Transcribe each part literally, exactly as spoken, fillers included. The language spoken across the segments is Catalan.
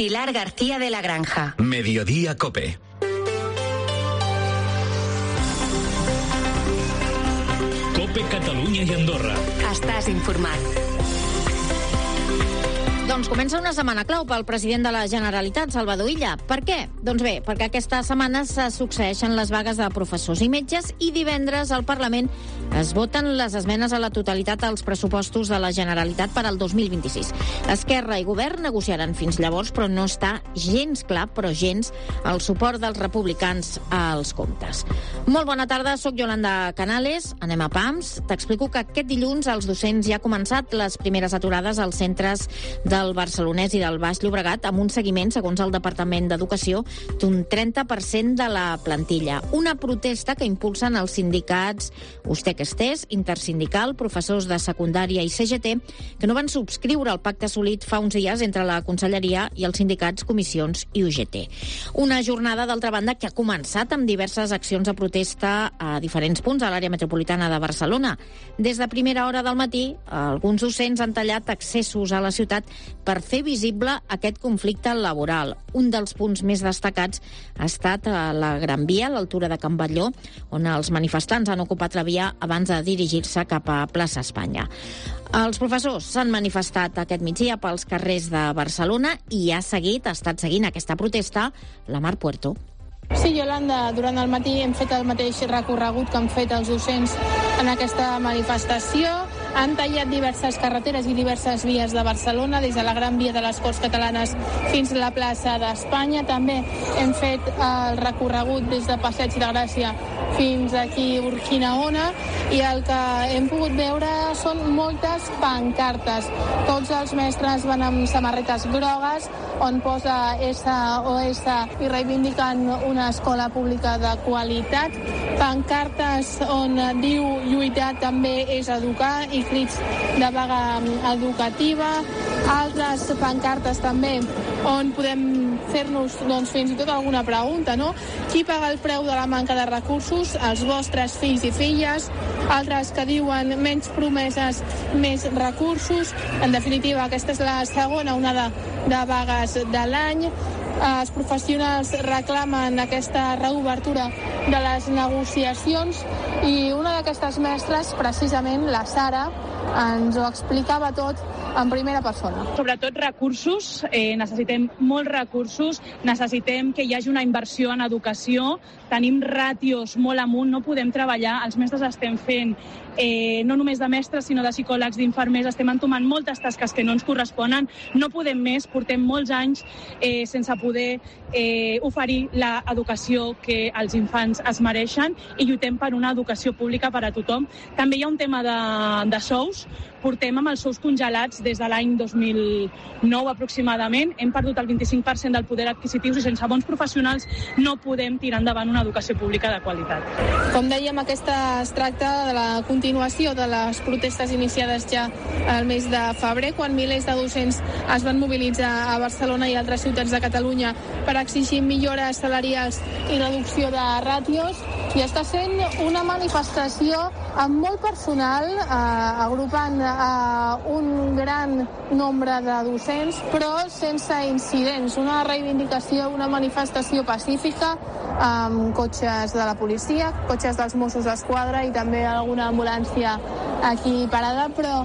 Pilar García de la Granja. Mediodía Cope. Cope Catalunya i Andorra. Estàs informat. Doncs comença una setmana clau pel president de la Generalitat, Salvador Illa. Per què? Doncs bé, perquè aquesta setmana se succeeixen les vagues de professors i metges i divendres al Parlament es voten les esmenes a la totalitat als pressupostos de la Generalitat per al dos mil vint-i-sis. Esquerra i Govern negociaran fins llavors, però no està gens clar, però gens, el suport dels republicans als comptes. Molt bona tarda, sóc Yolanda Canales, anem a PAMS. T'explico que aquest dilluns als docents ja ha començat les primeres aturades als centres del Barcelonès i del Baix Llobregat amb un seguiment, segons el Departament d'Educació, d'un trenta per cent de la plantilla. Una protesta que impulsen els sindicats Ustec-Estés, Intersindical, professors de secundària i C G T, que no van subscriure el pacte assolit fa uns dies entre la Conselleria i els sindicats Comissions i U G T. Una jornada, d'altra banda, que ha començat amb diverses accions de protesta a diferents punts a l'àrea metropolitana de Barcelona. Des de primera hora del matí, alguns docents han tallat accessos a la ciutat per fer visible aquest conflicte laboral. Un dels punts més destacats ha estat a la Gran Via, a l'altura de Can Batlló, on els manifestants han ocupat la via abans de dirigir-se cap a Plaça Espanya. Els professors s'han manifestat aquest migdia pels carrers de Barcelona i ha seguit, ha estat seguint aquesta protesta, la Mar Puerto. Sí, Yolanda, durant el matí hem fet el mateix recorregut que han fet els docents en aquesta manifestació. Han tallat diverses carreteres i diverses vies de Barcelona, des de la Gran Via de les Corts Catalanes fins a la plaça d'Espanya. També hem fet el recorregut des de Passeig de Gràcia fins aquí a Urquinaona, i el que hem pogut veure són moltes pancartes. Tots els mestres van amb samarretes grogues on posa S O S i reivindiquen una escola pública de qualitat. Pancartes on diu lluitar també és educar i crits de vaga educativa. Altres pancartes també on podem fer-nos doncs, fins i tot alguna pregunta, no? Qui paga el preu de la manca de recursos? Els vostres fills i filles. Altres que diuen menys promeses, més recursos. En definitiva, aquesta és la segona onada de vagues de l'any. Els professionals reclamen aquesta reobertura de les negociacions i una d'aquestes mestres, precisament la Sara, ens ho explicava tot en primera persona. Sobretot recursos, eh, necessitem molts recursos, necessitem que hi hagi una inversió en educació, tenim ràtios molt amunt, no podem treballar, els mestres estem fent eh, no només de mestres, sinó de psicòlegs, d'infermers, estem entomant moltes tasques que no ens corresponen, no podem més, portem molts anys eh, sense poder eh, oferir l'educació que els infants es mereixen i lluitem per una educació pública per a tothom. També hi ha un tema de, de sous, portem amb els sous congelats des de l'any dos mil nou aproximadament, hem perdut el vint-i-cinc per cent del poder adquisitiu i sense bons professionals no podem tirar endavant una educació pública de qualitat. Com dèiem, aquesta es tracta de la continuació de les protestes iniciades ja al mes de febrer, quan milers de docents es van mobilitzar a Barcelona i altres ciutats de Catalunya per exigir millores salarials i reducció de ràtios, i està sent una manifestació molt personal, eh, agrupant a un gran nombre de docents, però sense incidents. Una reivindicació, una manifestació pacífica, amb cotxes de la policia, cotxes dels Mossos d'Esquadra i també alguna ambulància aquí parada, però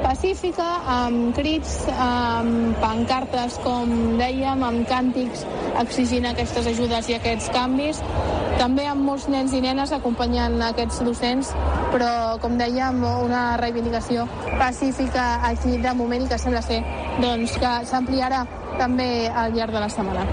pacífica, amb crits, amb pancartes, com dèiem, amb càntics exigint aquestes ajudes i aquests canvis. També amb molts nens i nenes acompanyant aquests docents, però, com dèiem, una reivindicació pacífica aquí de moment i que sembla ser doncs, que s'ampliarà també al llarg de la setmana.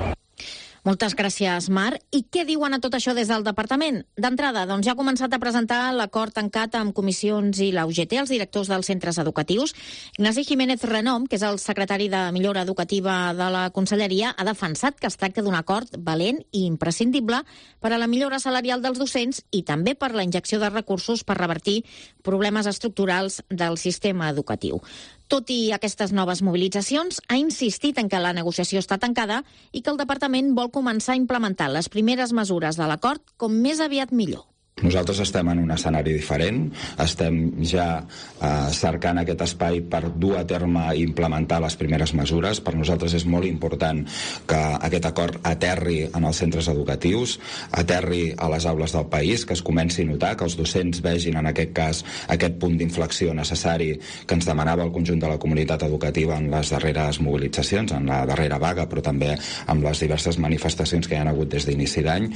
Moltes gràcies, Mar. I què diuen a tot això des del departament? D'entrada, doncs ja ha començat a presentar l'acord tancat amb comissions i la U G T, els directors dels centres educatius. Ignasi Jiménez Renom, que és el secretari de Millora Educativa de la Conselleria, ha defensat que es tracta d'un acord valent i imprescindible per a la millora salarial dels docents i també per la injecció de recursos per revertir problemes estructurals del sistema educatiu. Tot i aquestes noves mobilitzacions, ha insistit en que la negociació està tancada i que el departament vol començar a implementar les primeres mesures de l'acord com més aviat millor. Nosaltres estem en un escenari diferent, estem ja eh, cercant aquest espai per dur a terme i implementar les primeres mesures. Per nosaltres és molt important que aquest acord aterri en els centres educatius, aterri a les aules del país, que es comenci a notar, que els docents vegin en aquest cas aquest punt d'inflexió necessari que ens demanava el conjunt de la comunitat educativa en les darreres mobilitzacions, en la darrera vaga, però també amb les diverses manifestacions que hi ha hagut des d'inici d'any.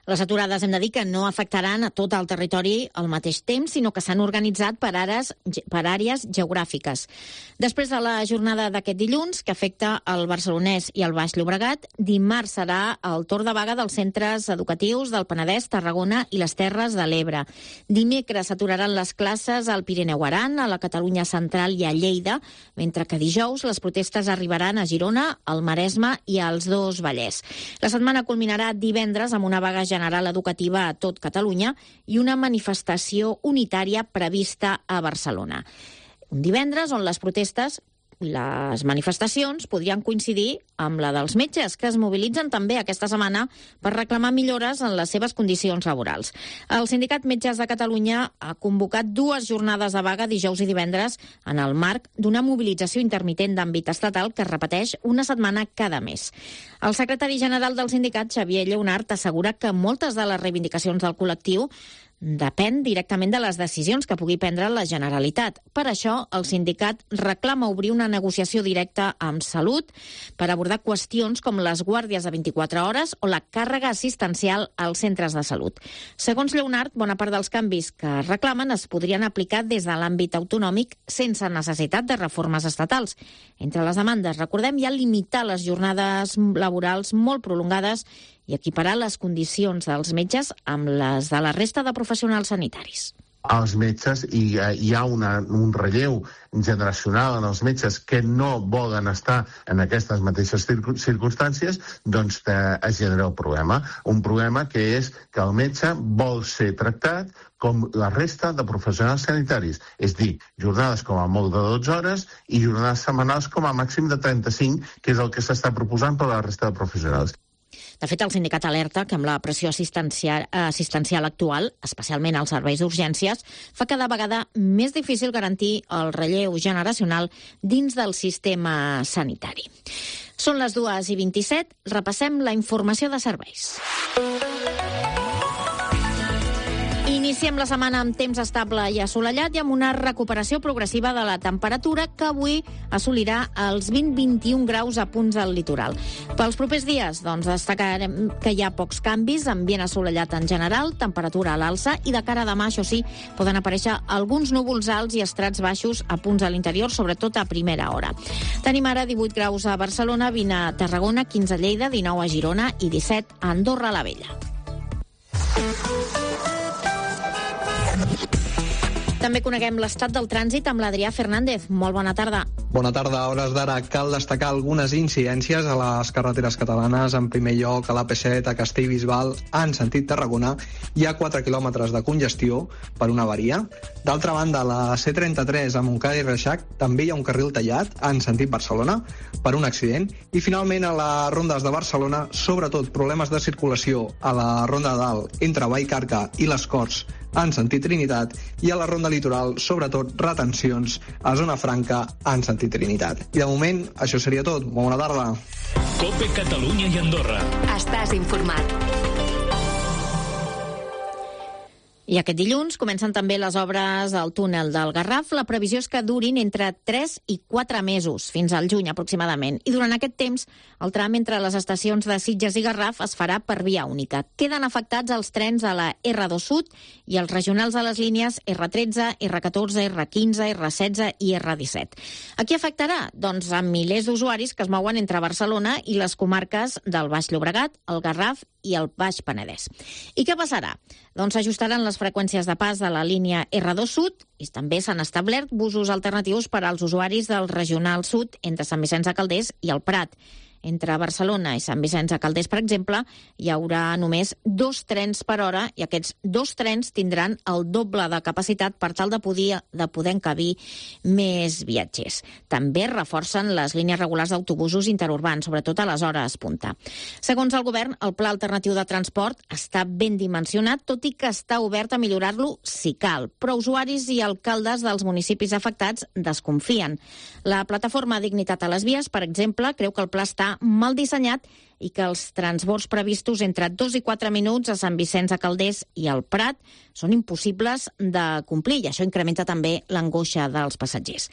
Les aturades hem de dir que no afectaran a tot el territori al mateix temps, sinó que s'han organitzat per àrees, per àrees geogràfiques. Després de la jornada d'aquest dilluns, que afecta el Barcelonès i el Baix Llobregat, dimarts serà el torn de vaga dels centres educatius del Penedès, Tarragona i les Terres de l'Ebre. Dimecres s'aturaran les classes al Pirineu Aran, a la Catalunya Central i a Lleida, mentre que dijous les protestes arribaran a Girona, al Maresme i als dos Vallès. La setmana culminarà divendres amb una vaga general educativa a tot Catalunya i una manifestació unitària prevista a Barcelona. Un divendres on les protestes, les manifestacions podrien coincidir amb la dels metges, que es mobilitzen també aquesta setmana per reclamar millores en les seves condicions laborals. El Sindicat Metges de Catalunya ha convocat dues jornades de vaga dijous i divendres en el marc d'una mobilització intermitent d'àmbit estatal que es repeteix una setmana cada mes. El secretari general del sindicat, Xavier Lleonart, assegura que moltes de les reivindicacions del col·lectiu depèn directament de les decisions que pugui prendre la Generalitat. Per això, el sindicat reclama obrir una negociació directa amb Salut per abordar qüestions com les guàrdies de vint-i-quatre hores o la càrrega assistencial als centres de salut. Segons Lleonart, bona part dels canvis que reclamen es podrien aplicar des de l'àmbit autonòmic sense necessitat de reformes estatals. Entre les demandes, recordem, hi ha limitar les jornades laborals molt prolongades i equiparar les condicions dels metges amb les de la resta de professionals sanitaris. Els metges, i hi ha una, un relleu generacional en els metges que no volen estar en aquestes mateixes circumstàncies, doncs es genera un problema. Un problema que és que el metge vol ser tractat com la resta de professionals sanitaris, és dir, jornades com a molt de dotze hores i jornades setmanals com a màxim de trenta-cinc, que és el que s'està proposant per a la resta de professionals. De fet, el sindicat alerta que amb la pressió assistencial, assistencial actual, especialment als serveis d'urgències, fa cada vegada més difícil garantir el relleu generacional dins del sistema sanitari. Són les dues i vint-i-set, repassem la informació de serveis. Iniciem la setmana amb temps estable i assolellat i amb una recuperació progressiva de la temperatura que avui assolirà els vint a vint-i-un graus a punts al litoral. Pels propers dies, doncs, destacarem que hi ha pocs canvis, ambient assolellat en general, temperatura a l'alça i de cara a demà, això sí, poden aparèixer alguns núvols alts i estrats baixos a punts a l'interior, sobretot a primera hora. Tenim ara divuit graus a Barcelona, vint a Tarragona, quinze a Lleida, dinou a Girona i disset a Andorra la Vella. També coneguem l'estat del trànsit amb l'Adrià Fernández. Molt bona tarda. Bona tarda. A hores d'ara cal destacar algunes incidències a les carreteres catalanes. En primer lloc, a l'A P set a Castellbisbal, en sentit Tarragona, hi ha quatre quilòmetres de congestió per una avaria. D'altra banda, a la C trenta-tres a Montcada i Reixac també hi ha un carril tallat, en sentit Barcelona, per un accident. I finalment, a les rondes de Barcelona, sobretot problemes de circulació a la ronda de dalt entre Vallcarca i les Corts, en sentit Trinitat, i a la ronda litoral, sobretot retencions a Zona Franca, en sentit Trinitat. I de moment, això seria tot. Bona tarda. COPE Catalunya i Andorra. Estàs informat. I aquest dilluns comencen també les obres al túnel del Garraf. La previsió és que durin entre tres i quatre mesos, fins al juny aproximadament. I durant aquest temps, el tram entre les estacions de Sitges i Garraf es farà per via única. Queden afectats els trens a la erre dos Sud i els regionals a les línies erre tretze, erre catorze, erre quinze, erre setze i erre disset. A qui afectarà? Doncs a milers d'usuaris que es mouen entre Barcelona i les comarques del Baix Llobregat, el Garraf i el Baix Penedès. I què passarà? Doncs s'ajustaran les freqüències de pas de la línia erre dos Sud i també s'han establert busos alternatius per als usuaris del Regional Sud entre Sant Vicenç de Calders i el Prat. Entre Barcelona i Sant Vicenç de Calders, per exemple, hi haurà només dos trens per hora i aquests dos trens tindran el doble de capacitat per tal de poder, de poder encabir més viatgers. També reforcen les línies regulars d'autobusos interurbans, sobretot a les hores punta. Segons el govern, el pla alternatiu de transport està ben dimensionat, tot i que està obert a millorar-lo si cal. Però usuaris i alcaldes dels municipis afectats desconfien. La plataforma Dignitat a les Vies, per exemple, creu que el pla està mal dissenyat i que els transbords previstos entre dos i quatre minuts a Sant Vicenç de Calders i al Prat són impossibles de complir i això incrementa també l'angoixa dels passatgers.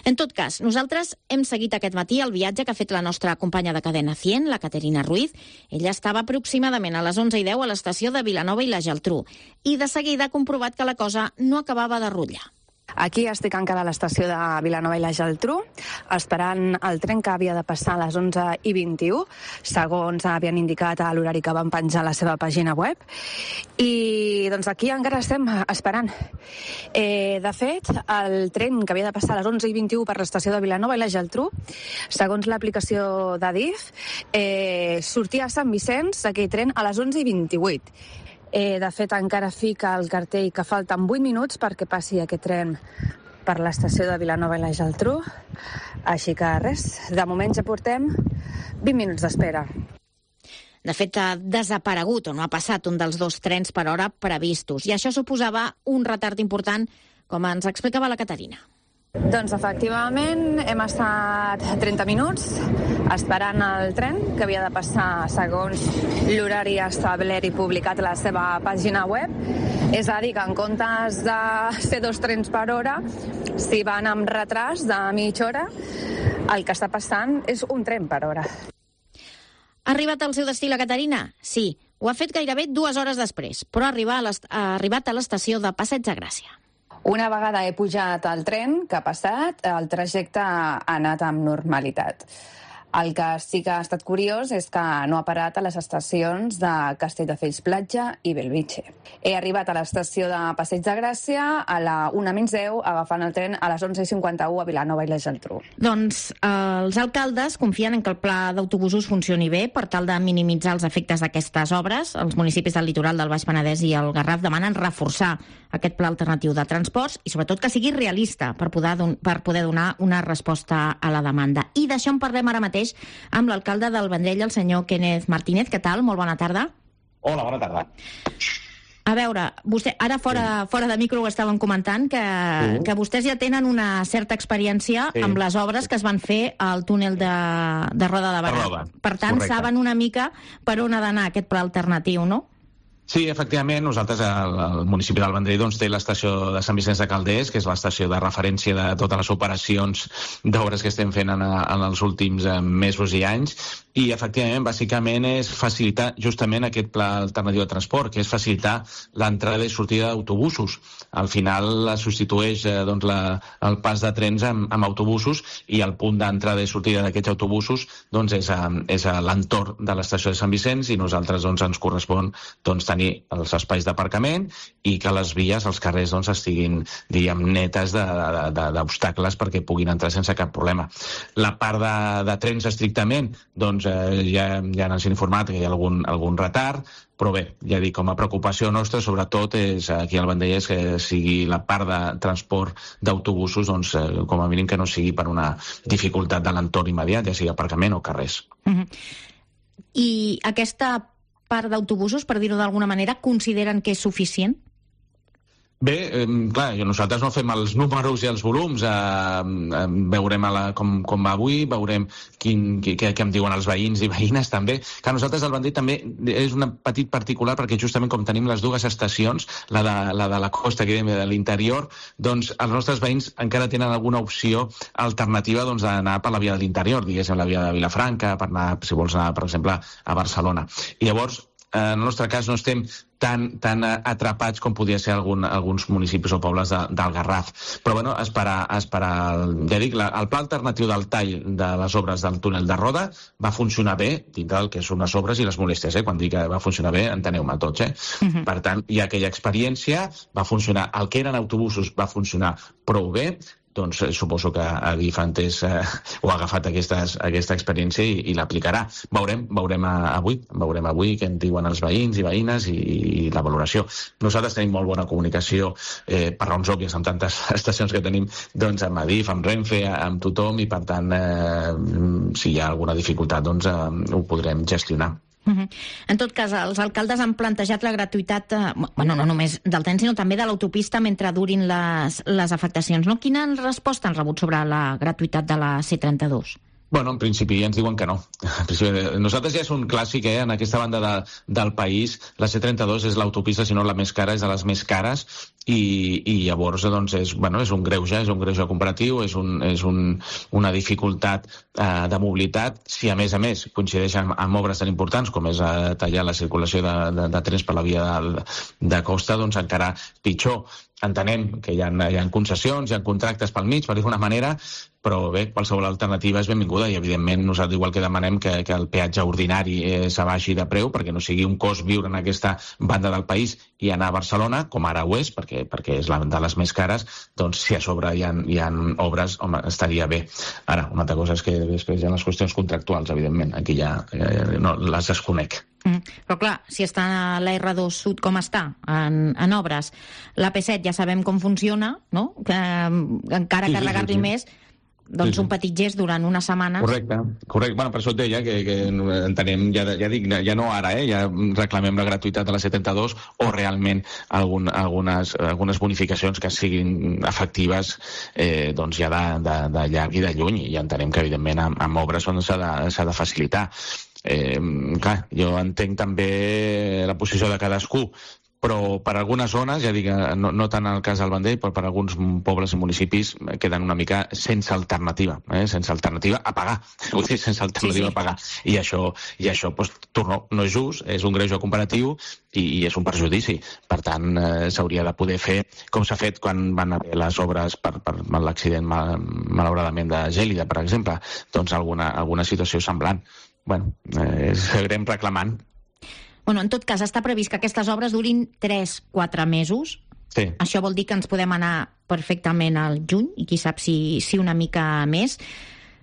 En tot cas, nosaltres hem seguit aquest matí el viatge que ha fet la nostra companya de Cadena cent, la Caterina Ruiz. Ella estava aproximadament a les onze i deu a l'estació de Vilanova i la Geltrú i de seguida ha comprovat que la cosa no acabava de rutllar. Aquí estic encara a l'estació de Vilanova i la Geltrú, esperant el tren que havia de passar a les onze i vint-i-u, segons havien indicat a l'horari que van penjar a la seva pàgina web. I doncs aquí encara estem esperant. Eh, de fet, el tren que havia de passar a les onze i vint-i-u per l'estació de Vilanova i la Geltrú, segons l'aplicació d'Adif, eh, sortia a Sant Vicenç aquell tren a les onze i vint-i-vuit. Eh, de fet, encara fica el cartell que falten vuit minuts perquè passi aquest tren per l'estació de Vilanova i la Geltrú. Així que res, de moment ja portem vint minuts d'espera. De fet, ha desaparegut o no ha passat un dels dos trens per hora previstos i això suposava un retard important, com ens explicava la Caterina. Doncs efectivament hem estat trenta minuts esperant el tren que havia de passar segons l'horari establert i publicat a la seva pàgina web. És a dir, que en comptes de ser dos trens per hora, si van amb retras de mitja hora, el que està passant és un tren per hora. Ha arribat al seu destí la Caterina? Sí, ho ha fet gairebé dues hores després, però ha arribat a l'estació de Passeig de Gràcia. Una vegada he pujat al tren que ha passat, el trajecte ha anat amb normalitat. El que sí que ha estat curiós és que no ha parat a les estacions de Castelldefels Platja i Bellvitge. He arribat a l'estació de Passeig de Gràcia a la una menys deu, agafant el tren a les onze i cinquanta-u a Vilanova i la Geltrú. Doncs eh, els alcaldes confien en que el pla d'autobusos funcioni bé per tal de minimitzar els efectes d'aquestes obres. Els municipis del litoral del Baix Penedès i el Garraf demanen reforçar aquest pla alternatiu de transports i sobretot que sigui realista per poder, don- per poder donar una resposta a la demanda. I d'això en parlem ara mateix amb l'alcalde del Vendrell, el senyor Kenneth Martínez. Què tal? Molt bona tarda. Hola, bona tarda. A veure, vostè, ara fora, fora de micro ho estàvem comentant, que, sí. que vostès ja tenen una certa experiència sí. amb les obres que es van fer al túnel de, de Roda de Barà. Roda. Per tant, Correcte. saben una mica per on ha d'anar aquest pla alternatiu, no? Sí, efectivament, nosaltres, el, el municipi del Vendrell, doncs, té l'estació de Sant Vicenç de Calders, que és l'estació de referència de totes les operacions d'obres que estem fent en, en els últims eh, mesos i anys, i efectivament, bàsicament, és facilitar justament aquest pla alternatiu de transport, que és facilitar l'entrada i sortida d'autobusos. Al final es substitueix eh, doncs, la, el pas de trens amb, amb autobusos i el punt d'entrada i sortida d'aquests autobusos doncs, és a, és a l'entorn de l'estació de Sant Vicenç i nosaltres doncs, ens correspon doncs, tenir els espais d'aparcament i que les vies, els carrers, doncs, estiguin, diguem, netes de, de, de, d'obstacles perquè puguin entrar sense cap problema. La part de, de trens estrictament, doncs eh, ja, ja ens han informat que hi ha algun, algun retard, però bé, ja dic, com a preocupació nostra, sobretot, és aquí al Vendrell, és que sigui la part de transport d'autobusos, doncs, eh, com a mínim que no sigui per una dificultat de l'entorn immediat, ja sigui aparcament o carrers. Mm-hmm. I aquesta part d'autobusos, per dir-ho d'alguna manera, consideren que és suficient? Bé, eh, clar, nosaltres no fem els números i els volums, eh, eh, veurem a la, com, com va avui, veurem quin, què, què em diuen els veïns i veïnes també, que nosaltres el Vendrell també és un petit particular perquè justament com tenim les dues estacions, la de la, de la costa que de l'interior, doncs els nostres veïns encara tenen alguna opció alternativa doncs, d'anar per la via de l'interior, diguéssim la via de Vilafranca, per anar, si vols anar, per exemple, a Barcelona. I llavors, en el nostre cas no estem tan, tan atrapats com podria ser algun, alguns municipis o pobles de, del Garraf. Però bueno, esperar, esperar ja dic, la, el pla alternatiu del tall de les obres del túnel de Roda va funcionar bé, dintre del que són les obres i les molèsties, eh? Quan dic que va funcionar bé, enteneu-me tots, eh? Uh-huh. Per tant, hi ha aquella experiència, va funcionar, el que eren autobusos va funcionar prou bé, doncs eh, suposo que Adif ha entès eh, o ha agafat aquestes, aquesta experiència i, i l'aplicarà. Veurem, veurem a, avui, veurem avui què en diuen els veïns i veïnes i, i la valoració. Nosaltres tenim molt bona comunicació eh, per raons òbvies amb tantes estacions que tenim, doncs amb Adif, amb Renfe, amb tothom, i per tant eh, si hi ha alguna dificultat doncs eh, ho podrem gestionar. Uh-huh. En tot cas, els alcaldes han plantejat la gratuïtat, eh, bueno, no només del tren, sinó també de l'autopista mentre durin les, les afectacions. No? Quina resposta han rebut sobre la gratuïtat de la C trenta-dos? Bueno, en principi ens diuen que no. Nosaltres ja és un clàssic, eh? En aquesta banda de, del país, la C trenta-dos és l'autopista, si no la més cara, és de les més cares, i, i llavors doncs, és, bueno, és un greuge, és un greuge comparatiu, és, un, és un, una dificultat eh, de mobilitat. Si a més a més coincideix amb, amb obres tan importants com és eh, tallar la circulació de, de, de trens per la via de, de costa, doncs encara pitjor. Entenem que hi ha, hi ha concessions, hi ha contractes pel mig, per dir d'una manera, però bé, qualsevol alternativa és benvinguda i, evidentment, nosaltres igual que demanem que, que el peatge ordinari eh, s'abaixi de preu perquè no sigui un cost viure en aquesta banda del país i anar a Barcelona, com ara ho és, perquè, perquè és la de les més cares, doncs si a sobre hi ha, hi ha obres, home, estaria bé. Ara, una altra cosa és que després hi ha les qüestions contractuals, evidentment, aquí ja eh, no, les desconec. Mm. Però clar, si està a la erre dos Sud com està, en, en obres, la P set ja sabem com funciona, no? Que encara sí, carregar-li sí, sí, sí. més, doncs sí, sí. Un petit gest durant una setmana. Correcte, correcte. Bueno, per això et deia que, que entenem, ja, ja dic, ja no ara, eh? Ja reclamem la gratuïtat de la C trenta-dos o realment algun, algunes, algunes bonificacions que siguin efectives eh, doncs ja de, de, de llarg i de lluny, i entenem que evidentment amb, amb obres s'ha de, s'ha de facilitar. Eh, clar, jo entenc també la posició de cadascú, però per algunes zones, ja dic, no, no tant el cas del Vendrell, però per alguns pobles i municipis queden una mica sense alternativa, eh? sense alternativa a pagar, vull dir, sense alternativa sí, sí. a pagar. I això, i això doncs, torno, no és just, és un greuge comparatiu i, i és un perjudici. Per tant, eh, s'hauria de poder fer, com s'ha fet quan van haver les obres per, per l'accident, mal, malauradament, de Gèlida, per exemple, doncs alguna, alguna situació semblant. Bueno, eh, seguirem reclamant. Bueno, en tot cas, està previst que aquestes obres durin tres a quatre mesos. Sí. Això vol dir que ens podem anar perfectament al juny, i qui sap si, si una mica més.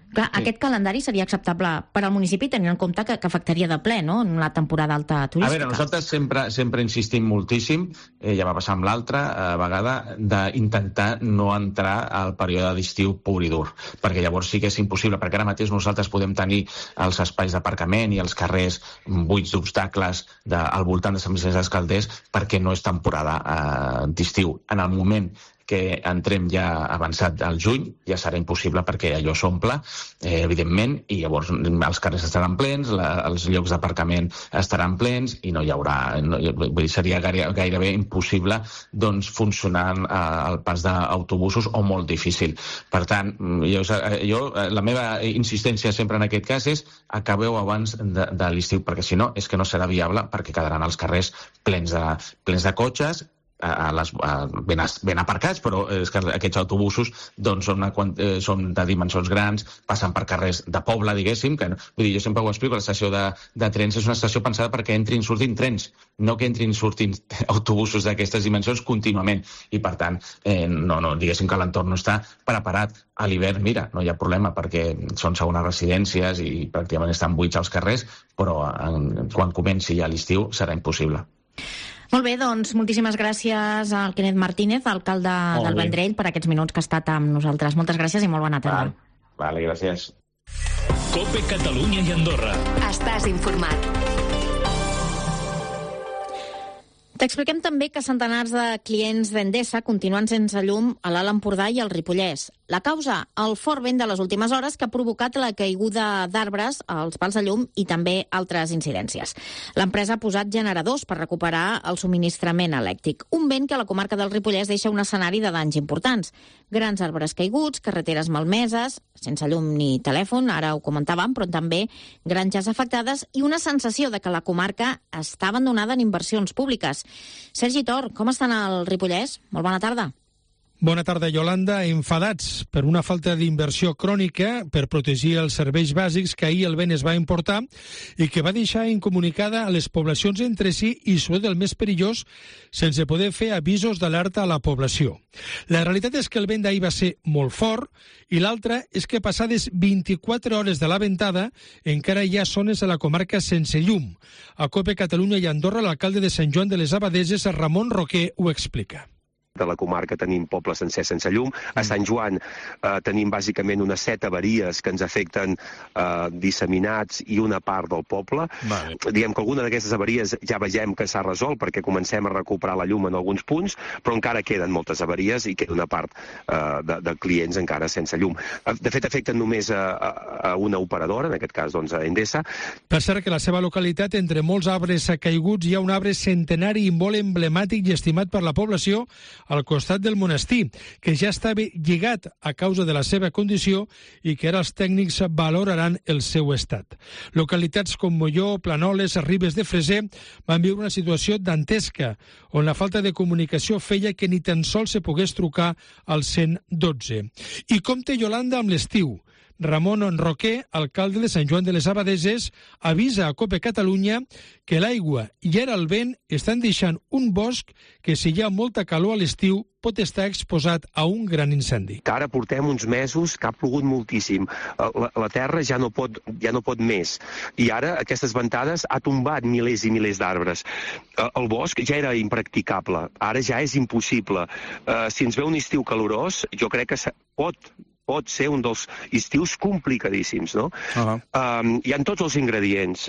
Clar, sí. Aquest calendari seria acceptable per al municipi, tenint en compte que, que afectaria de ple, no?, en la temporada alta turística. A veure, nosaltres sempre, sempre insistim moltíssim, eh, ja va passar amb l'altra eh, vegada, d'intentar no entrar al període d'estiu pur i dur, perquè llavors sí que és impossible, perquè ara mateix nosaltres podem tenir els espais d'aparcament i els carrers buits d'obstacles de, al voltant de Sant Vicenç dels Calders, perquè no és temporada eh, d'estiu. En el moment que entrem ja avançat al juny, ja serà impossible perquè allò s'omple, eh, evidentment, i llavors els carrers estaran plens, la, els llocs d'aparcament estaran plens i no hi haurà, no, vull dir, seria gaire, gairebé impossible doncs, funcionar eh, el pas d'autobusos o molt difícil. Per tant, jo, jo, la meva insistència sempre en aquest cas és acabeu abans de, de l'estiu, perquè si no és que no serà viable, perquè quedaran els carrers plens de, plens de cotxes, a les, a, ben, ben aparcats, però és que aquests autobusos doncs, són, una, eh, són de dimensions grans, passen per carrers de poble, diguéssim, que, vull dir, jo sempre ho explico, l'estació de, de trens és una estació pensada perquè entrin i surtin trens, no que entrin i surtin autobusos d'aquestes dimensions contínuament, i per tant, eh, no, no, diguéssim que l'entorn no està preparat. A l'hivern, mira, no hi ha problema perquè són segones residències i pràcticament estan buits als carrers, però en, quan comenci ja l'estiu serà impossible. Molt bé, doncs moltíssimes gràcies al Kenneth Martínez, alcalde del Vendrell, per aquests minuts que ha estat amb nosaltres. Moltes gràcies i molt bona tarda. Vale, vale, gràcies. COPE Catalunya i Andorra. Estàs informat. T'expliquem també que centenars de clients d'Endesa continuen sense llum a l'Alt Empordà i al Ripollès. La causa, el fort vent de les últimes hores que ha provocat la caiguda d'arbres als pals de llum i també altres incidències. L'empresa ha posat generadors per recuperar el subministrament elèctric. Un vent que a la comarca del Ripollès deixa un escenari de danys importants. Grans arbres caiguts, carreteres malmeses, sense llum ni telèfon, ara ho comentàvem, però també granges afectades i una sensació de que la comarca està abandonada en inversions públiques. Sergi Tor, com estan al Ripollès? Molt bona tarda. Bona tarda, Yolanda. Enfadats per una falta d'inversió crònica per protegir els serveis bàsics que ahir el vent es va importar i que va deixar incomunicada a les poblacions entre si i, sobretot el més perillós, sense poder fer avisos d'alerta a la població. La realitat és que el vent d'ahir va ser molt fort i l'altra és que passades vint-i-quatre hores de la ventada encara hi ha zones a la comarca sense llum. A COPE Catalunya i Andorra, l'alcalde de Sant Joan de les Abadeses, Ramon Roquer, ho explica. De la comarca tenim pobles sencers sense llum. A Sant Joan eh, tenim bàsicament unes set avaries que ens afecten eh, disseminats i una part del poble. Vale. Diem que alguna d'aquestes avaries ja vegem que s'ha resolt perquè comencem a recuperar la llum en alguns punts, però encara queden moltes avaries i queda una part eh, de, de clients encara sense llum. De fet, afecten només a, a, a una operadora, en aquest cas doncs, a Endesa. Per cert que la seva localitat, entre molts arbres caiguts, hi ha un arbre centenari i molt emblemàtic i estimat per la població al costat del monestir, que ja estava lligat a causa de la seva condició i que ara els tècnics valoraran el seu estat. Localitats com Molló, Planoles, Ribes de Freser van viure una situació dantesca, on la falta de comunicació feia que ni tan sols se pogués trucar al cent dotze. I com té Yolanda amb l'estiu? Ramon Roquer, alcalde de Sant Joan de les Abadeses, avisa a COPE Catalunya que l'aigua i ara el vent estan deixant un bosc que, si hi ha molta calor a l'estiu, pot estar exposat a un gran incendi. Que ara portem uns mesos que ha plogut moltíssim. La, la terra ja no, pot, ja no pot més. I ara aquestes ventades ha tombat milers i milers d'arbres. El bosc ja era impracticable. Ara ja és impossible. Si ens ve un estiu calorós, jo crec que pot... pot ser un dels estius complicadíssims, no? Uh-huh. Um, hi ha tots els ingredients.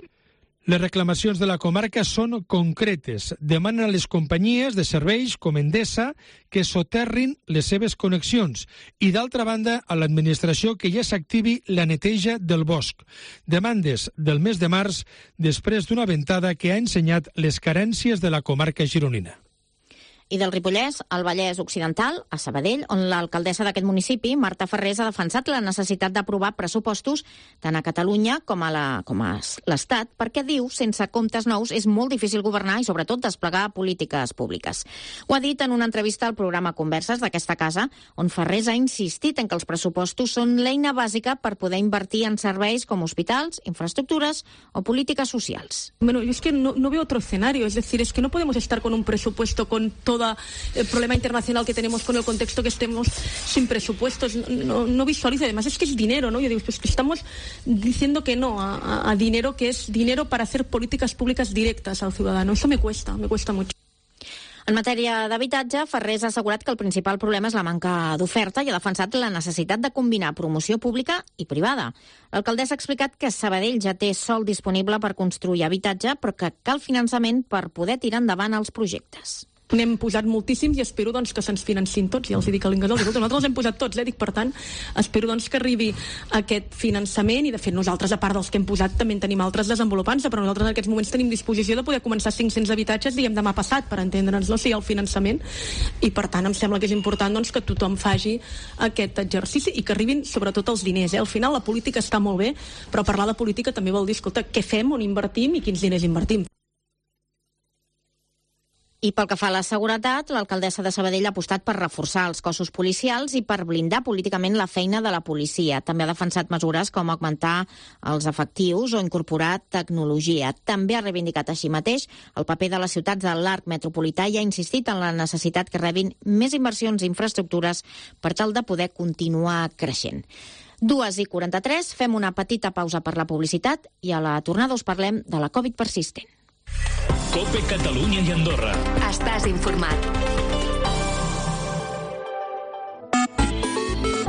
Les reclamacions de la comarca són concretes. Demanen a les companyies de serveis com Endesa que soterrin les seves connexions i, d'altra banda, a l'administració que ja s'activi la neteja del bosc. Demandes del mes de març després d'una ventada que ha ensenyat les carències de la comarca gironina. I del Ripollès al Vallès Occidental, a Sabadell, on l'alcaldessa d'aquest municipi, Marta Ferrés, ha defensat la necessitat d'aprovar pressupostos tant a Catalunya com a la, com a l'Estat, perquè diu, sense comptes nous és molt difícil governar i, sobretot, desplegar polítiques públiques. Ho ha dit en una entrevista al programa Converses d'aquesta casa, on Ferrés ha insistit en que els pressupostos són l'eina bàsica per poder invertir en serveis com hospitals, infraestructures o polítiques socials. Bueno, yo es que no, no veo otro escenario, es decir, es que no podemos estar con un presupuesto con todo el problema internacional que tenemos, con el contexto que estemos sin presupuestos. No, no visualizo, además es que es dinero, ¿no? Yo digo, pues que estamos diciendo que no a, a dinero que es dinero para hacer políticas públicas directas al ciudadano. Eso me cuesta, me cuesta mucho. En matèria d'habitatge, Ferrés ha assegurat que el principal problema és la manca d'oferta i ha defensat la necessitat de combinar promoció pública i privada. L'alcaldessa ha explicat que Sabadell ja té sòl disponible per construir habitatge, però que cal finançament per poder tirar endavant els projectes. N'hem posat moltíssims i espero doncs, que se'ns financin tots. Ja els dic a l'Ingadol, nosaltres els hem posat tots, eh? Dic, per tant, espero doncs, que arribi aquest finançament i, de fet, nosaltres, a part dels que hem posat, també en tenim altres desenvolupants, però nosaltres en aquests moments tenim disposició de poder començar cinc-cents habitatges, diguem, demà passat, per entendre'ns, no? Si hi ha el finançament. I, per tant, em sembla que és important doncs, que tothom faci aquest exercici i que arribin, sobretot, els diners. Eh? Al final, la política està molt bé, però parlar de política també vol dir, escolta, què fem, on invertim i quins diners invertim. I pel que fa a la seguretat, l'alcaldessa de Sabadell ha apostat per reforçar els cossos policials i per blindar políticament la feina de la policia. També ha defensat mesures com augmentar els efectius o incorporar tecnologia. També ha reivindicat així mateix el paper de les ciutats de l'arc metropolità i ha insistit en la necessitat que rebin més inversions i infraestructures per tal de poder continuar creixent. dues i quaranta-tres, fem una petita pausa per la publicitat i a la tornada us parlem de la Covid persistent. COPE Catalunya i Andorra. Estàs informat.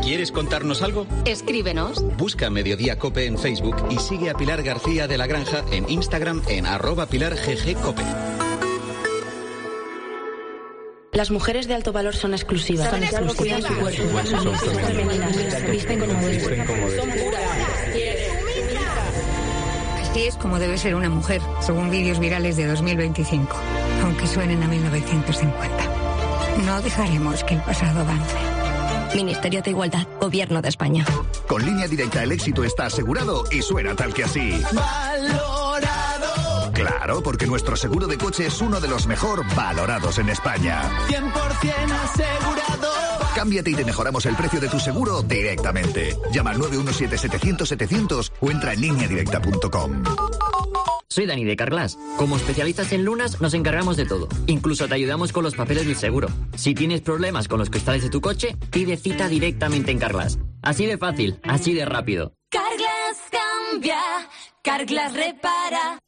¿Quieres contarnos algo? Escríbenos. Busca Mediodía Cope en Facebook y sigue a Pilar García de la Granja en Instagram en arroba Pilar G G Cope. Las mujeres de alto valor son exclusivas. Son exclusivas. Su cuerpo. Son femeninas. Visten como deben. Son puras. Así es como debe ser una mujer, según vídeos virales de dos mil veinticinco, aunque suenen a mil novecientos cincuenta. No dejaremos que el pasado avance. Ministerio de Igualdad, Gobierno de España. Con Línea Directa el éxito está asegurado y suena tal que así. ¡Valorado! Claro, porque nuestro seguro de coche es uno de los mejor valorados en España. cien por ciento asegurado. Cámbiate y te mejoramos el precio de tu seguro directamente. Llama al nueve uno siete setecientos setecientos o entra en línea directa punto com. Soy Dani de Carglass. Como especialistas en lunas nos encargamos de todo. Incluso te ayudamos con los papeles del seguro. Si tienes problemas con los cristales de tu coche, pide cita directamente en Carglass. Así de fácil, así de rápido. Carglass cambia, Carglass repara.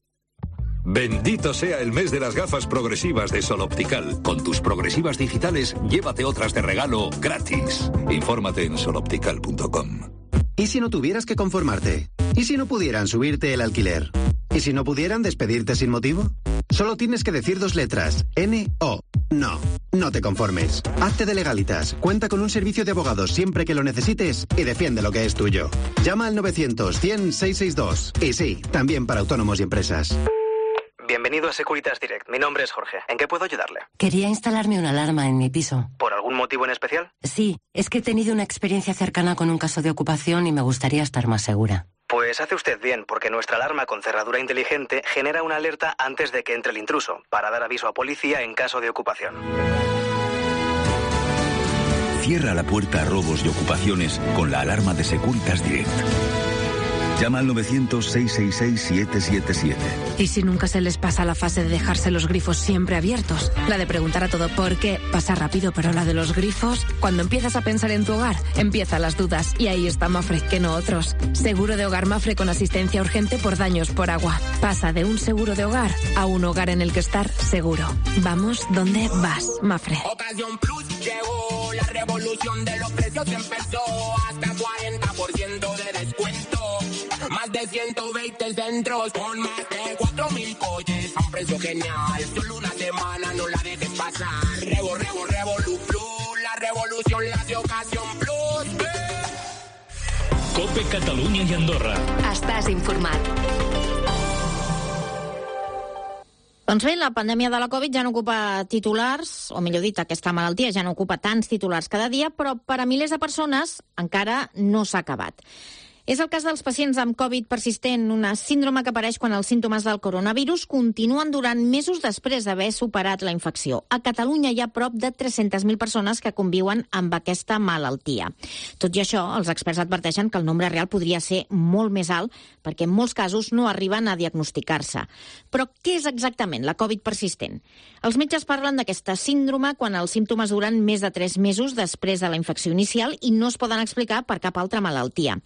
Bendito sea el mes de las gafas progresivas de Sol Optical. Con tus progresivas digitales, llévate otras de regalo gratis. Infórmate en sol optical punto com. ¿Y si no tuvieras que conformarte? ¿Y si no pudieran subirte el alquiler? ¿Y si no pudieran despedirte sin motivo? Solo tienes que decir dos letras. N O. No, no te conformes. Hazte de Legalitas. Cuenta con un servicio de abogados siempre que lo necesites y defiende lo que es tuyo. Llama al novecientos cien seiscientos sesenta y dos. Y sí, también para autónomos y empresas. Bienvenido a Securitas Direct. Mi nombre es Jorge. ¿En qué puedo ayudarle? Quería instalarme una alarma en mi piso. ¿Por algún motivo en especial? Sí, es que he tenido una experiencia cercana con un caso de ocupación y me gustaría estar más segura. Pues hace usted bien, porque nuestra alarma con cerradura inteligente genera una alerta antes de que entre el intruso, para dar aviso a policía en caso de ocupación. Cierra la puerta a robos y ocupaciones con la alarma de Securitas Direct. Llama al novecientos seiscientos sesenta y seis siete siete siete. ¿Y si nunca se les pasa la fase de dejarse los grifos siempre abiertos? La de preguntar a todo por qué pasa rápido, pero la de los grifos, cuando empiezas a pensar en tu hogar, empiezan las dudas. Y ahí está Mafre, que no otros. Seguro de hogar Mafre con asistencia urgente por daños por agua. Pasa de un seguro de hogar a un hogar en el que estar seguro. Vamos donde vas, Mafre. Ocasión Plus llegó, la revolución de los precios empezó. Hasta cuarenta por ciento de descuento. Más de ciento veinte centros con más de cuatro mil coches a un precio genial. Solo una semana, no la dejes pasar. Revo, revo, revolu plus, la revolución la de Ocasión Plus. Eh. Cope Catalunya i Andorra. Estàs informat. Doncs bé, la pandèmia de la Covid ja no ocupa titulars, o millor dit, aquesta malaltia ja no ocupa tants titulars cada dia, però per a milers de persones encara no s'ha acabat. És el cas dels pacients amb Covid persistent, una síndrome que apareix quan els símptomes del coronavirus continuen durant mesos després d'haver superat la infecció. A Catalunya hi ha prop de tres-centes mil persones que conviuen amb aquesta malaltia. Tot i això, els experts adverteixen que el nombre real podria ser molt més alt perquè en molts casos no arriben a diagnosticar-se. Però què és exactament la Covid persistent? Els metges parlen d'aquesta síndrome quan els símptomes duren més de tres mesos després de la infecció inicial i no es poden explicar per cap altra malaltia.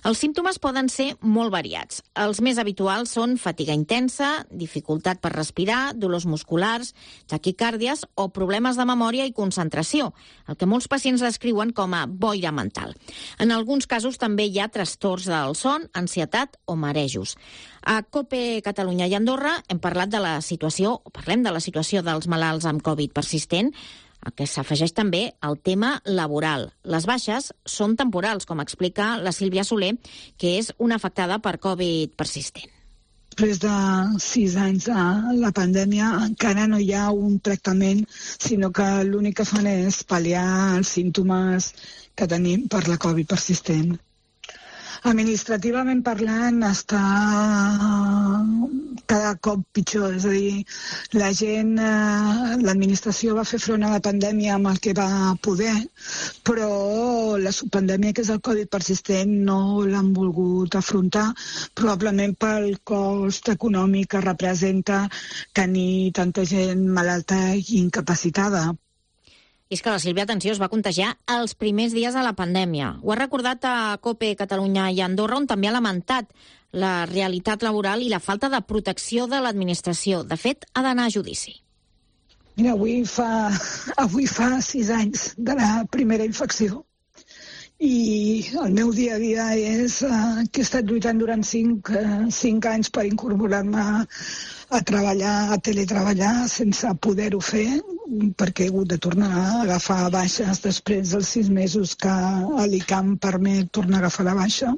Els símptomes poden ser molt variats. Els més habituals són fatiga intensa, dificultat per respirar, dolors musculars, taquicàrdies o problemes de memòria i concentració, el que molts pacients descriuen com a boira mental. En alguns casos també hi ha trastorns del son, ansietat o marejos. A Cope Catalunya i Andorra hem parlat de la situació, o parlem de la situació dels malalts amb Covid persistent, a què s'afegeix també el tema laboral. Les baixes són temporals, com explica la Sílvia Soler, que és una afectada per Covid persistent. Després de sis anys de la pandèmia encara no hi ha un tractament, sinó que l'únic que fan és pal·liar els símptomes que tenim per la Covid persistent. Administrativament parlant, està cada cop pitjor. És a dir, la gent, l'administració va fer front a la pandèmia amb el que va poder, però la subpandèmia, que és el Covid persistent, no l'han volgut afrontar, probablement pel cost econòmic que representa tenir tanta gent malalta i incapacitada. I és que la Sílvia, atenció, es va contagiar els primers dies de la pandèmia. Ho ha recordat a Cope Catalunya i Andorra, on també ha lamentat la realitat laboral i la falta de protecció de l'administració. De fet, ha d'anar a judici. Mira, avui fa, avui fa sis anys de la primera infecció. I el meu dia a dia és uh, que he estat lluitant durant cinc, uh, cinc anys per incorporar-me a treballar, a teletreballar, sense poder-ho fer, perquè he hagut de tornar a agafar baixes després dels sis mesos que l'ICAM permet tornar a agafar la baixa.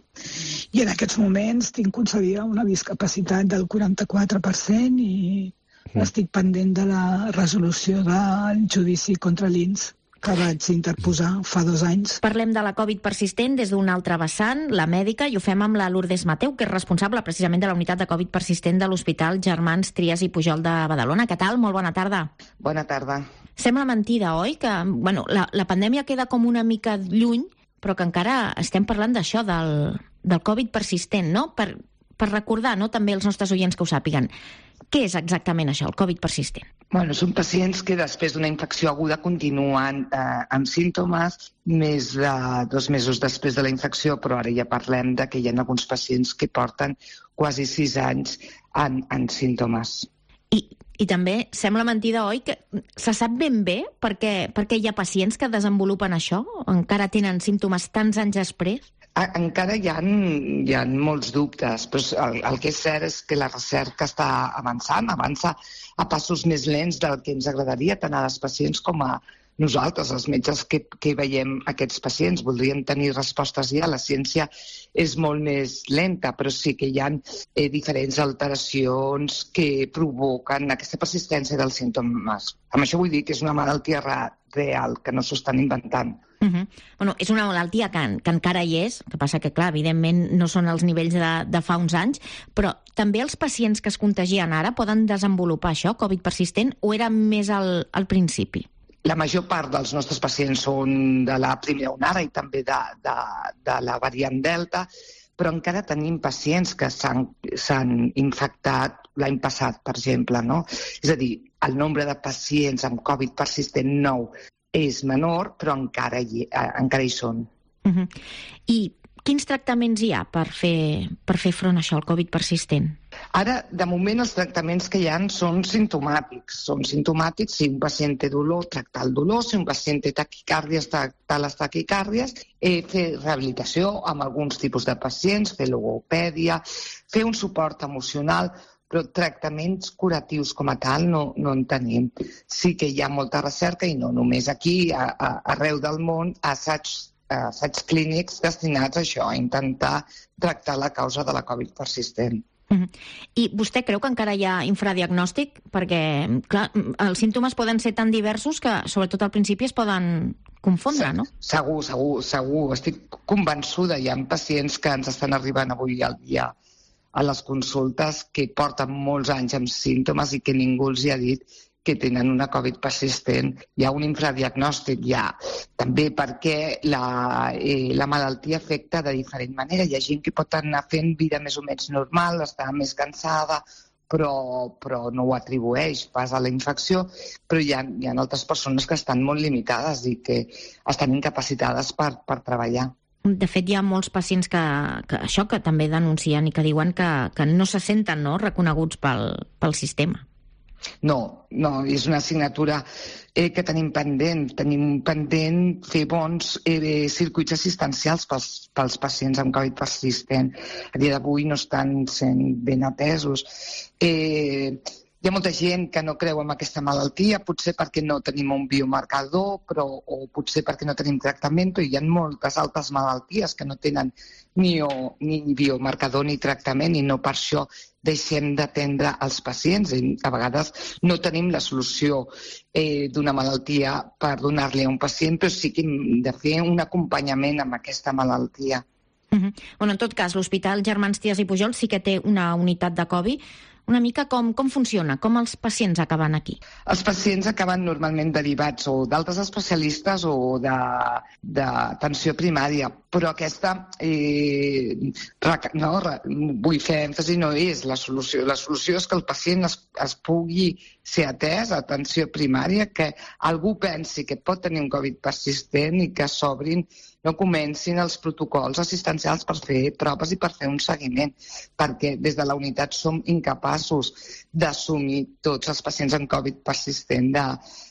I en aquests moments tinc concedida una discapacitat del quaranta-quatre per cent i estic pendent de la resolució del judici contra l'I N S, que vaig interposar fa dos anys. Parlem de la Covid persistent des d'un altre vessant, la mèdica, i ho fem amb la Lourdes Mateu, que és responsable precisament de la unitat de Covid persistent de l'Hospital Germans Trias i Pujol de Badalona. Què tal? Molt bona tarda. Bona tarda. Sembla mentida, oi? Que bueno, la, la pandèmia queda com una mica lluny, però que encara estem parlant d'això, del, del Covid persistent, no? Per, per recordar, no?, també els nostres oients que ho sàpiguen. Què és exactament això, el Covid persistent? Bueno, són pacients que després d'una infecció aguda continuen eh, amb símptomes més de dos mesos després de la infecció, però ara ja parlem de que hi ha alguns pacients que porten quasi sis anys en, en símptomes. I, I també sembla mentida, oi, que se sap ben bé perquè, perquè hi ha pacients que desenvolupen això? Encara tenen símptomes tants anys després? Encara hi ha, hi ha molts dubtes, però el, el que és cert és que la recerca està avançant, avança a passos més lents del que ens agradaria, tant a les pacients com a nosaltres, els metges que, que veiem aquests pacients. Voldríem tenir respostes ja, la ciència és molt més lenta, però sí que hi ha eh, diferents alteracions que provoquen aquesta persistència dels símptomes. Amb això vull dir que és una malaltia real, que no s'ho estan inventant. Uh -huh. Bueno, és una malaltia que, que encara hi és, que passa que, clar, evidentment no són els nivells de, de fa uns anys, però també els pacients que es contagien ara poden desenvolupar això, Covid persistent, o era més al, al principi? La major part dels nostres pacients són de la primera onada i també de, de, de la variant Delta, però encara tenim pacients que s'han infectat l'any passat, per exemple, no? És a dir, el nombre de pacients amb Covid persistent nou és menor, però encara hi, encara hi són. Uh-huh. I quins tractaments hi ha per fer, per fer front a això, al Covid persistent? Ara, de moment, els tractaments que hi ha són simptomàtics. Són simptomàtics si un pacient té dolor, tractar el dolor, si un pacient té taquicàrdies, tractar les taquicàrdies, eh, fer rehabilitació amb alguns tipus de pacients, fer logopèdia, fer un suport emocional, però tractaments curatius com a tal no, no en tenim. Sí que hi ha molta recerca, i no només aquí, a, a, arreu del món, assaigs, assaigs clínics destinats a això, a intentar tractar la causa de la Covid persistent. Uh-huh. I vostè creu que encara hi ha infradiagnòstic? Perquè, clar, els símptomes poden ser tan diversos que, sobretot al principi, es poden confondre, no? Segur, segur, segur. Estic convençuda. Hi ha pacients que ens estan arribant avui al dia a les consultes que porten molts anys amb símptomes i que ningú els hi ha dit que tenen una Covid persistent. Hi ha un infradiagnòstic, hi ha també perquè la, eh, la malaltia afecta de diferent manera. Hi ha gent que pot anar fent vida més o menys normal, està més cansada, però, però no ho atribueix pas a la infecció, però hi ha, hi ha altres persones que estan molt limitades i que estan incapacitades per, per treballar. De fet, hi ha molts pacients que, que això que també denuncien i que diuen que, que no se senten, no, reconeguts pel, pel sistema. No, no, és una assignatura eh, que tenim pendent. Tenim pendent fer bons eh, circuits assistencials pels, pels pacients amb Covid persistent. A dia d'avui no estan sent ben atesos. Eh, Hi ha molta gent que no creu en aquesta malaltia, potser perquè no tenim un biomarcador, però, o potser perquè no tenim tractament, però hi ha moltes altres malalties que no tenen ni, o, ni biomarcador ni tractament i no per això deixem d'atendre els pacients. I a vegades no tenim la solució eh, d'una malaltia per donar-li a un pacient, però sí que hem de fer un acompanyament amb aquesta malaltia. Uh-huh. Bueno, en tot cas, l'Hospital Germans Trias i Pujol sí que té una unitat de Covid. Una mica com, com funciona? Com els pacients acaben aquí? Els pacients acaben normalment derivats o d'altres especialistes o d'atenció primària, però aquesta, eh, no, vull fer èmfasi, no és la solució. La solució és que el pacient es, es pugui ser atès a atenció primària, que algú pensi que pot tenir un Covid persistent i que s'obrin, no comencin els protocols assistencials per fer proves i per fer un seguiment, perquè des de la unitat som incapaços d'assumir tots els pacients amb Covid persistent de,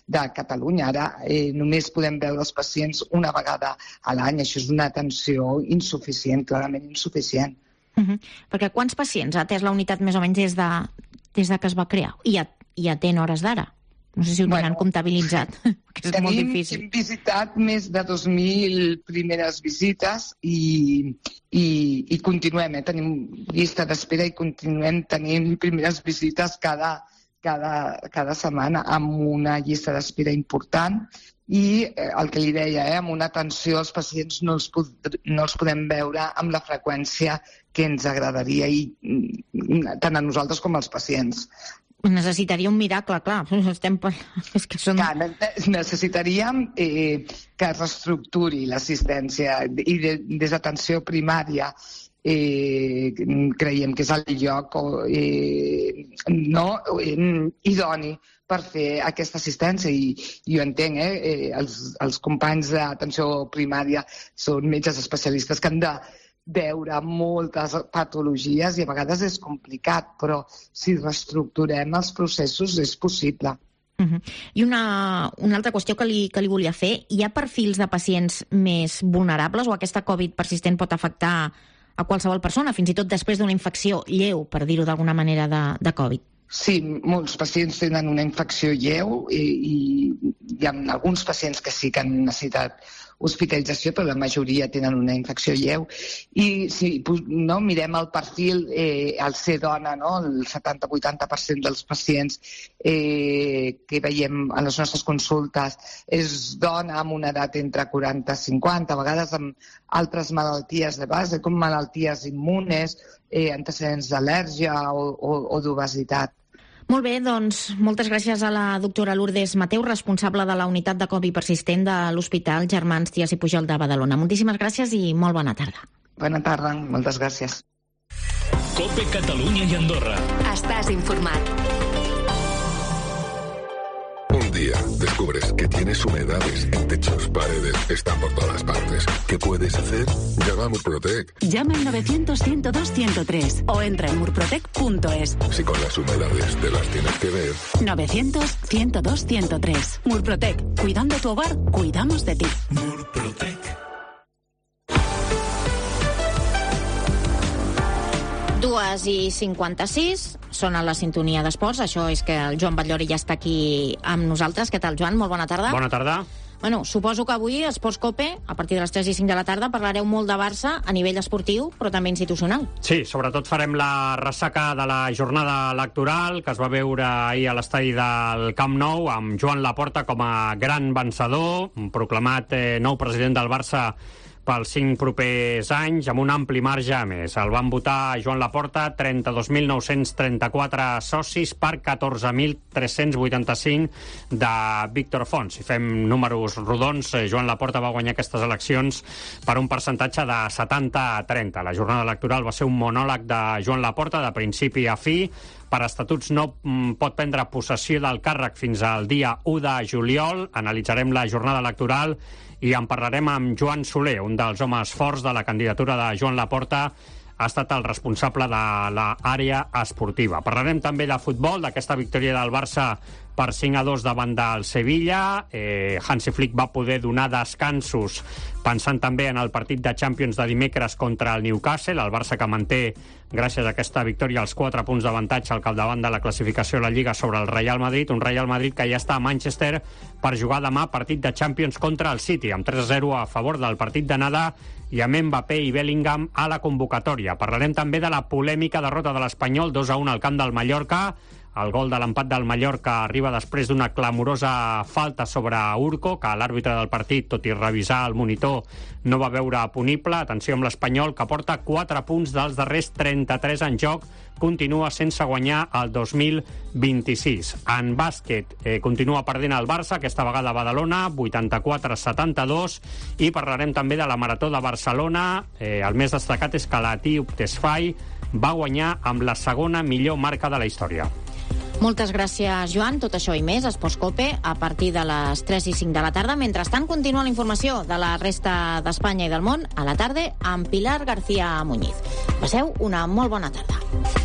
de Catalunya. Ara eh, només podem veure els pacients una vegada a l'any. Això és una atenció insuficient, clarament insuficient. Uh-huh. Perquè quants pacients ha atès la unitat més o menys des de, des de que es va crear? I, a, i atén hores d'ara? No sé si ho tenen bueno, comptabilitzat, que és tenim, molt difícil. Hem visitat més de dos mil primeres visites i, i, i continuem, eh? Tenim llista d'espera i continuem tenint primeres visites cada, cada, cada setmana amb una llista d'espera important i eh, el que li deia, eh, amb una atenció als pacients no els, pod no els podem veure amb la freqüència que ens agradaria i tant a nosaltres com als pacients. Necessitaria un miracle, clar. Estem... És que són... Clar, necessitaríem eh, que es reestructuri l'assistència i de, des d'atenció primària eh, creiem que és el lloc eh, no, eh, idoni per fer aquesta assistència i jo entenc, eh, eh, els, els companys d'atenció primària són metges especialistes que han de veure moltes patologies i a vegades és complicat, però si reestructurem els processos és possible. Uh-huh. I una, una altra qüestió que li, que li volia fer, hi ha perfils de pacients més vulnerables o aquesta Covid persistent pot afectar a qualsevol persona, fins i tot després d'una infecció lleu, per dir-ho d'alguna manera, de, de Covid? Sí, molts pacients tenen una infecció lleu i, i hi ha alguns pacients que sí que han necessitat hospitalització, però la majoria tenen una infecció lleu. I si no, mirem el perfil, eh, al ser dona, no? El setanta a vuitanta per cent dels pacients eh, que veiem a les nostres consultes és dona amb una edat entre quaranta i cinquanta, a vegades amb altres malalties de base, com malalties immunes, eh, antecedents d'al·lèrgia o, o, o d'obesitat. Molt bé, doncs moltes gràcies a la doctora Lourdes Mateu, responsable de la unitat de Covid persistent de l'Hospital Germans Trias i Pujol de Badalona. Moltíssimes gràcies i molt bona tarda. Bona tarda, moltes gràcies. COPE Catalunya i Andorra. Estàs informat. Un día descubres que tienes humedades en techos, paredes, están por todas partes. ¿Qué puedes hacer? Llama a Murprotec. Llama al novecientos, ciento dos, ciento tres o entra en murprotec punto es. Si con las humedades te las tienes que ver. novecientos, ciento dos, ciento tres. Murprotec. Cuidando tu hogar, cuidamos de ti. Murprotec. dues i cinquanta-sis, són a la sintonia d'esports. Això és que el Joan Batllori ja està aquí amb nosaltres. Què tal, Joan? Molt bona tarda. Bona tarda. Bueno, suposo que avui, Esports Cope, a partir de les tres i cinc de la tarda, parlareu molt de Barça a nivell esportiu, però també institucional. Sí, sobretot farem la ressaca de la jornada electoral que es va veure ahir a l'estadi del Camp Nou amb Joan Laporta com a gran vencedor, proclamat eh, nou president del Barça pels cinc propers anys, amb un ampli marge a més. El van votar Joan Laporta trenta-dos mil nou-cents trenta-quatre socis per catorze mil tres-cents vuitanta-cinc de Víctor Font. Si fem números rodons, Joan Laporta va guanyar aquestes eleccions per un percentatge de setanta a trenta. La jornada electoral va ser un monòleg de Joan Laporta de principi a fi. Per estatuts no pot prendre possessió del càrrec fins al dia u de juliol. Analitzarem la jornada electoral i en parlarem amb Joan Soler, un dels homes forts de la candidatura de Joan Laporta. Ha estat el responsable de l'àrea esportiva. Parlarem també de futbol, d'aquesta victòria del Barça per cinc a dos davant del Sevilla. Eh, Hansi Flick va poder donar descansos pensant també en el partit de Champions de dimecres contra el Newcastle. El Barça que manté, gràcies a aquesta victòria, els quatre punts d'avantatge al capdavant de la classificació de la Lliga sobre el Real Madrid. Un Real Madrid que ja està a Manchester per jugar demà partit de Champions contra el City, amb tres a zero a favor del partit d'anada i amb Mbappé i Bellingham a la convocatòria. Parlarem també de la polèmica derrota de l'Espanyol dos a un al camp del Mallorca. El gol de l'empat del Mallorca arriba després d'una clamorosa falta sobre Urco, que l'àrbitre del partit, tot i revisar el monitor, no va veure punible. Atenció amb l'Espanyol, que porta quatre punts dels darrers trenta-tres en joc, continua sense guanyar el dos mil vint-i-sis. En bàsquet eh, continua perdent el Barça, aquesta vegada a Badalona, vuitanta-quatre a setanta-dos, i parlarem també de la Marató de Barcelona. Eh, el més destacat és que l'etíop Tesfaye va guanyar amb la segona millor marca de la història. Moltes gràcies, Joan. Tot això i més, Esports Cope, a partir de les tres i cinc de la tarda. Mentrestant, continua la informació de la resta d'Espanya i del món a la tarda amb Pilar García Muñiz. Passeu una molt bona tarda.